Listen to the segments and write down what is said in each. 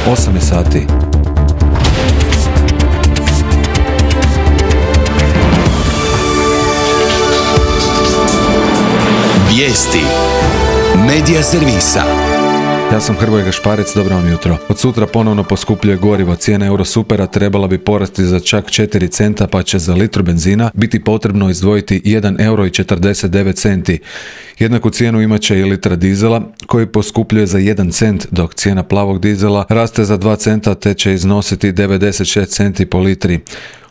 8 je sati. Vijesti Medija servisa. Ja sam Hrvoje Gašparec, dobro vam jutro. Od sutra ponovno poskupljuje gorivo. Cijena Eurosupera trebala bi porasti za čak 4 centa, pa će za litru benzina biti potrebno izdvojiti 1,49 euro. Jednaku cijenu imat će i litra dizela, koji poskupljuje za 1 cent, dok cijena plavog dizela raste za 2 centa te će iznositi 96 centi po litri.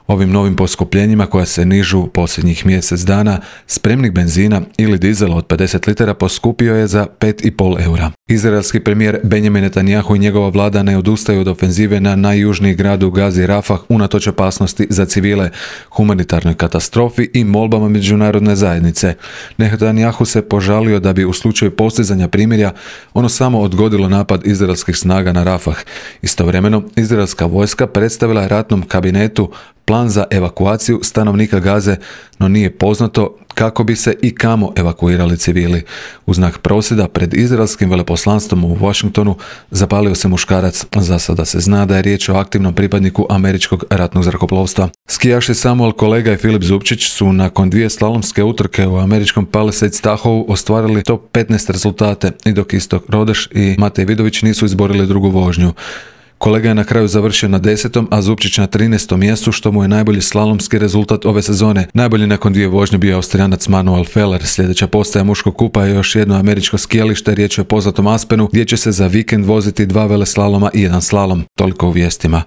Ovim novim poskupljenjima, koja se nižu posljednjih mjesec dana, spremnik benzina ili dizela od 50 litara poskupio je za 5,5 eura. Izraelski premijer Benjamin Netanjahu i njegova vlada ne odustaju od ofenzive na najjužniji grad u Gazi Rafah unatoč opasnosti za civile, humanitarnoj katastrofi i molbama međunarodne zajednice. Netanjahu se požalio da bi u slučaju postizanja primirja ono samo odgodilo napad izraelskih snaga na Rafah. Istovremeno, izraelska vojska predstavila je ratnom kabinetu plan za evakuaciju stanovnika Gaze, no nije poznato kako bi se i kamo evakuirali civili. U znak prosvjeda pred izraelskim veleposlanstvom u Washingtonu zapalio se muškarac. Za sada se zna da je riječ o aktivnom pripadniku američkog ratnog zrakoplovstva. Skijaši Samuel Kolega i Filip Zupčić su nakon 2 slalomske utrke u američkom Palisades Tahoe ostvarili top 15 rezultate, i dok Istok Rodeš i Matej Vidović nisu izborili drugu vožnju. Kolega je na kraju završio na 10., a Zupčić na 13. mjestu, što mu je najbolji slalomski rezultat ove sezone. Najbolji nakon 2 vožnje bio je Austrijanac Manuel Feller. Sljedeća postaja muškog kupa je još jedno američko skijalište, riječ je o poznatom Aspenu, gdje će se za vikend voziti 2 veleslaloma i 1 slalom. Toliko u vijestima.